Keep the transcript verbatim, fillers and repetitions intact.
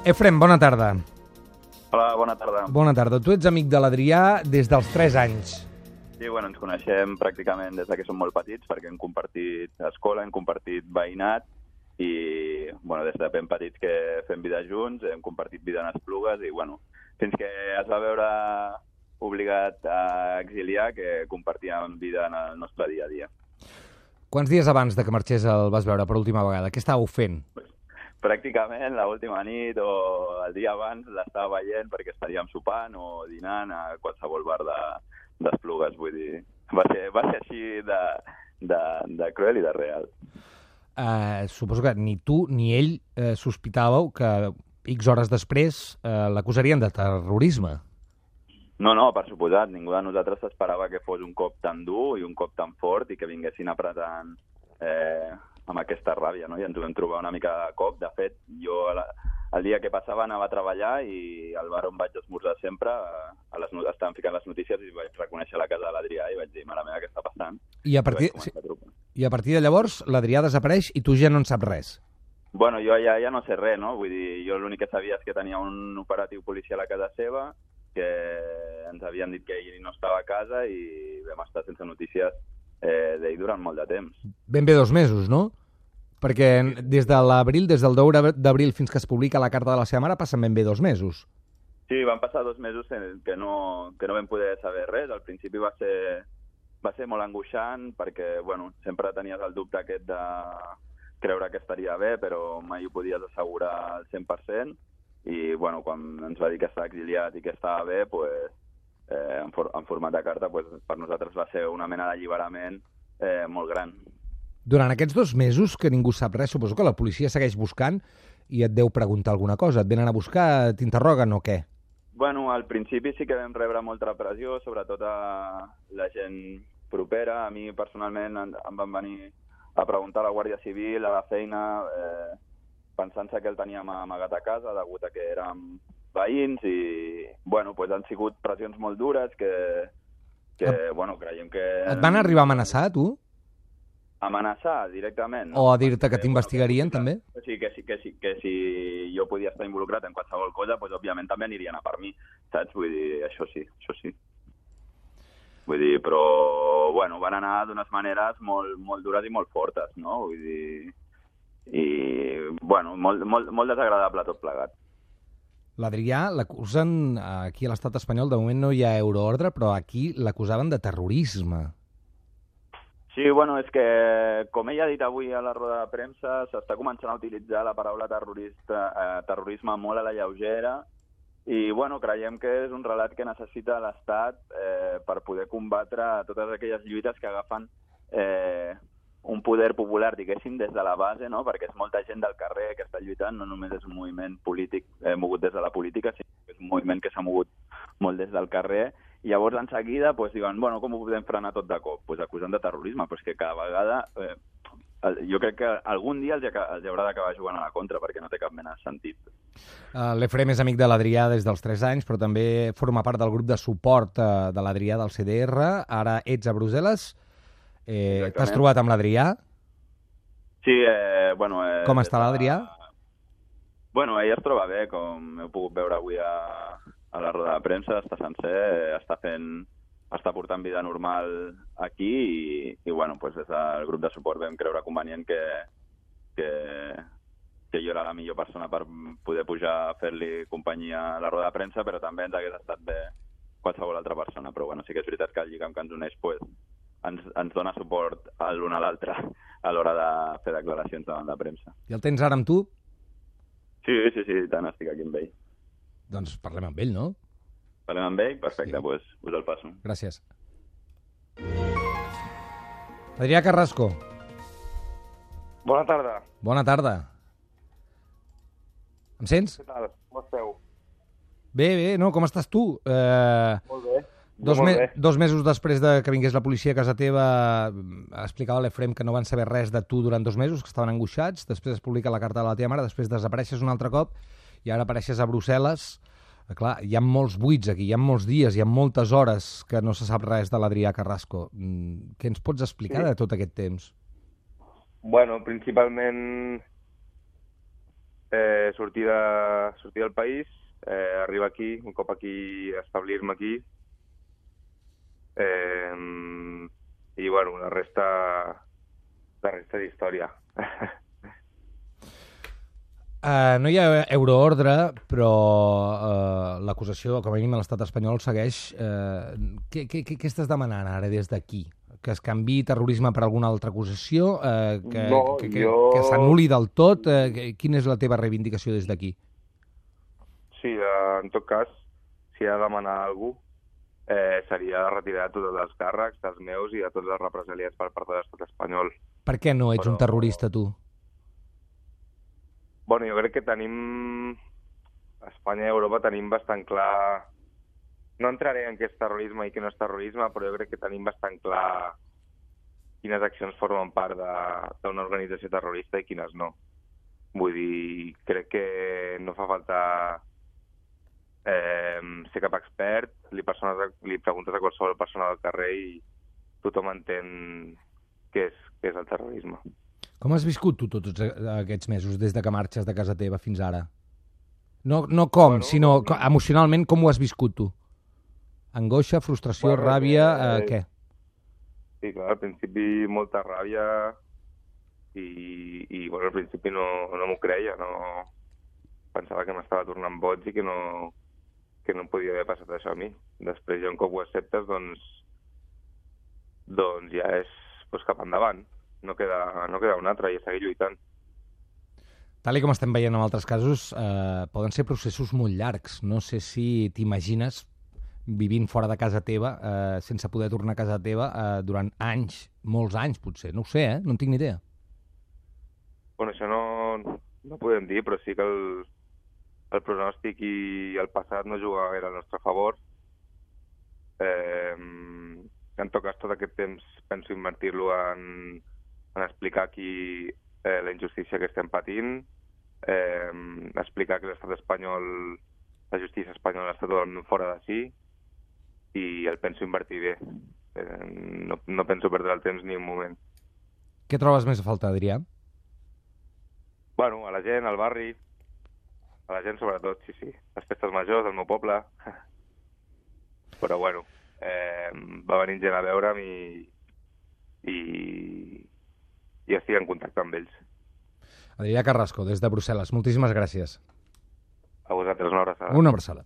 Efrem, bona tarda. Hola, bona tarda. Bona tarda. Tu ets amic de l'Adrià des dels tres anys. Sí, bueno, ens coneixem pràcticament des que som molt petits, perquè hem compartit escola, hem compartit veïnat, i bueno, des de ben petits que fem vida junts, hem compartit vida en Esplugues, i bueno, fins que es va veure obligat a exiliar, que compartíem vida en el nostre dia a dia. Quants dies abans de que marxés el vas veure per última vegada? Què estàveu fent? Pràcticament l'última nit o el dia abans l'estava veient perquè estaríem sopant o dinant a qualsevol bar d'Esplugues, vull dir, va ser, va ser així de, de, de cruel i de real. Uh, suposo que ni tu ni ell uh, sospitàveu que X hores després uh, l'acusarien de terrorisme. No, no, per suposat, ningú de nosaltres s'esperava que fos un cop tan dur i un cop tan fort i que vinguessin apretant eh, amb aquesta ràbia, no? I ens ho vam trobar una mica de cop. De fet, jo el dia que passava anava a treballar i al bar on vaig esmorzar sempre a les, estaven ficant les notícies i vaig reconèixer la casa de l'Adrià i vaig dir, mare meva, què està passant? I a partir, I sí, i a partir de llavors l'Adrià desapareix i tu ja no en saps res? Bueno, jo ja, ja no sé res, no? Vull dir, jo l'únic que sabia és que tenia un operatiu policial a casa seva, que ens havien dit que ell no estava a casa i vam estar sense notícies eh, d'ell durant molt de temps. Ben bé dos mesos, no? Perquè des de l'abril, des del deu d'abril fins que es publica la carta de la seva mare, passen ben bé dos mesos. Sí, van passar dos mesos que no, que no vam poder saber res. Al principi va ser, va ser molt angoixant perquè, bueno, sempre tenies el dubte aquest de creure que estaria bé, però mai ho podies assegurar al cent per cent. I, bueno, quan ens va dir que estava exiliat i que estava bé, pues, eh, en, for en format de carta, pues, per nosaltres va ser una mena d'alliberament eh, molt gran. Durant aquests dos mesos que ningú sap res, suposo que la policia segueix buscant i et deu preguntar alguna cosa. Et venen a buscar, t'interroguen o què? Bueno, al principi sí que vam rebre molta pressió, sobretot a la gent propera. A mi, personalment, em van venir a preguntar a la Guàrdia Civil, a la feina, eh, pensant-se que el teníem amagat a casa, degut a que érem veïns, i, bueno, pues han sigut pressions molt dures que, que et, bueno, creiem que... Et van arribar a amenaçar, tu? Amenaçar directament. No? O a dir-te que t'investigarien, bueno, també? O sigui, que, que, que, que si jo podia estar involucrat en qualsevol cosa, pues, òbviament també anirien a per mi, saps? Vull dir, això sí, això sí. Vull dir, però, bueno, van anar d'unes maneres molt, molt dures i molt fortes, no? Vull dir... i, bueno, molt, molt, molt desagradable tot plegat. L'Adrià l'acusen aquí a l'estat espanyol, de moment no hi ha euroordre, però aquí l'acusaven de terrorisme. Sí, bueno, és que, com ell ha dit avui a la roda de premsa, s'està començant a utilitzar la paraula terrorista, eh, terrorisme molt a la lleugera, i, bueno, creiem que és un relat que necessita l'Estat eh, per poder combatre totes aquelles lluites que agafen eh, un poder popular, diguéssim, des de la base, no? Perquè és molta gent del carrer que està lluitant, no només és un moviment polític eh, mogut des de la política, sinó que és un moviment que s'ha mogut molt des del carrer, i llavors en seguida pues, diuen, bueno, com ho podem frenar tot de cop? Pues acusant de terrorisme, però és que cada vegada, eh, jo crec que algun dia els, els haurà d'acabar jugant a la contra, perquè no té cap mena de sentit. Uh, L'Efrem és amic de l'Adrià des dels tres anys, però també forma part del grup de suport uh, de l'Adrià del C D R, ara ets a Brussel·les. Eh, T'has trobat amb l'Adrià? Sí, eh, bueno... Eh, com està l'Adrià? Bueno, ell es troba bé, com heu pogut veure avui a, a la roda de premsa, està sencer, eh, està fent, està portant vida normal aquí i, i bueno, pues des del grup de suport vam creure convenient que, que, que jo era la millor persona per poder pujar a fer-li companyia a la roda de premsa, però també ens hagués estat bé qualsevol altra persona. Però bueno, sí que és veritat que el lligam que ens uneix, pues, Ens, ens dona suport l'un a l'altre a l'hora de fer declaracions davant de premsa. I el tens ara amb tu? Sí, sí, sí, tant, estic aquí amb ell. Doncs parlem amb ell, no? Parlem amb ell? Perfecte, doncs sí. pues, us el passo. Gràcies. Adrià Carrasco. Bona tarda. Bona tarda. Em sents? Què tal? Com esteu? Bé, bé, no, com estàs tu? Eh... Molt bé. Dos, me dos mesos després de que vingués la policia a casa teva, explicava l'Efrem que no van saber res de tu durant dos mesos, que estaven angoixats, després es publica la carta de la teva mare, després desapareixes un altre cop i ara apareixes a Brussel·les. Clar, hi ha molts buits aquí, hi ha molts dies, hi ha moltes hores que no se sap res de l'Adrià Carrasco. Què ens pots explicar sí. de tot aquest temps? Bueno, principalment eh, sortir, de, sortir del país, eh, arribar aquí, un cop aquí, establir-me aquí, eh, i, bueno, la resta, la resta d'història. Uh, no hi ha euroordre, però uh, l'acusació, com a mínim a l'estat espanyol, segueix. Uh, què, què, què estàs demanant ara des d'aquí? Que es canviï terrorisme per alguna altra acusació? Uh, que No, que, que, jo- que s'anul·li del tot? Uh, que- quina és la teva reivindicació des d'aquí? Sí, eh, en tot cas, si he de demanar a algú, eh, seria la retirada de tots els càrrecs, dels meus i de tots els represaliats per part de l'estat espanyol. Per què no ets Però- un terrorista, tu? Bueno, jo crec que tenim... A Espanya i a Europa tenim bastant clar... No entraré en què és terrorisme i què no és terrorisme, però jo crec que tenim bastant clar quines accions formen part de- d'una organització terrorista i quines no. Vull dir, crec que no fa falta eh, ser cap expert, li, persones, li preguntes a qualsevol persona del carrer i tothom entén què és, què és el terrorisme. Com has viscut tu tots aquests mesos, des de que marxes de casa teva fins ara? No, no com, Bueno, sinó co- emocionalment com ho has viscut tu? Angoixa, frustració, Bueno, ràbia, eh, eh, què? Sí, clar, al principi molta ràbia i, i bueno, al principi no, no m'ho creia, no pensava que m'estava tornant boig i que no, que no podia haver passat això a mi. Després, ja un cop ho acceptes, doncs, doncs ja és doncs, cap endavant. No queda, no queda un altre i seguir lluitant. Tal i com estem veient en altres casos, eh, poden ser processos molt llargs. No sé si t'imagines vivint fora de casa teva, eh, sense poder tornar a casa teva eh, durant anys, molts anys potser. No ho sé, eh? No en tinc ni idea. Bueno, això no, no podem dir, però sí que el, el pronòstic i el passat no juga gaire al nostre favor. Eh, en tot cas, tot aquest temps penso invertir-lo en, en explicar aquí eh, la injustícia que estem patint, eh, explicar que l'estat espanyol, la justícia espanyola està totalment fora de si, i el penso invertir bé. Eh, no, no penso perdre el temps ni un moment. Què trobes més a faltar, Adrià? Bueno, a la gent, al barri, a la gent sobretot, sí, sí. Les festes majors del meu poble. Però bueno, eh, va venir gent a veure'm i, i, i estic en contacte amb ells. Adrià Carrasco, des de Brussel·les. Moltíssimes gràcies. A vosaltres una abraçada. Una abraçada.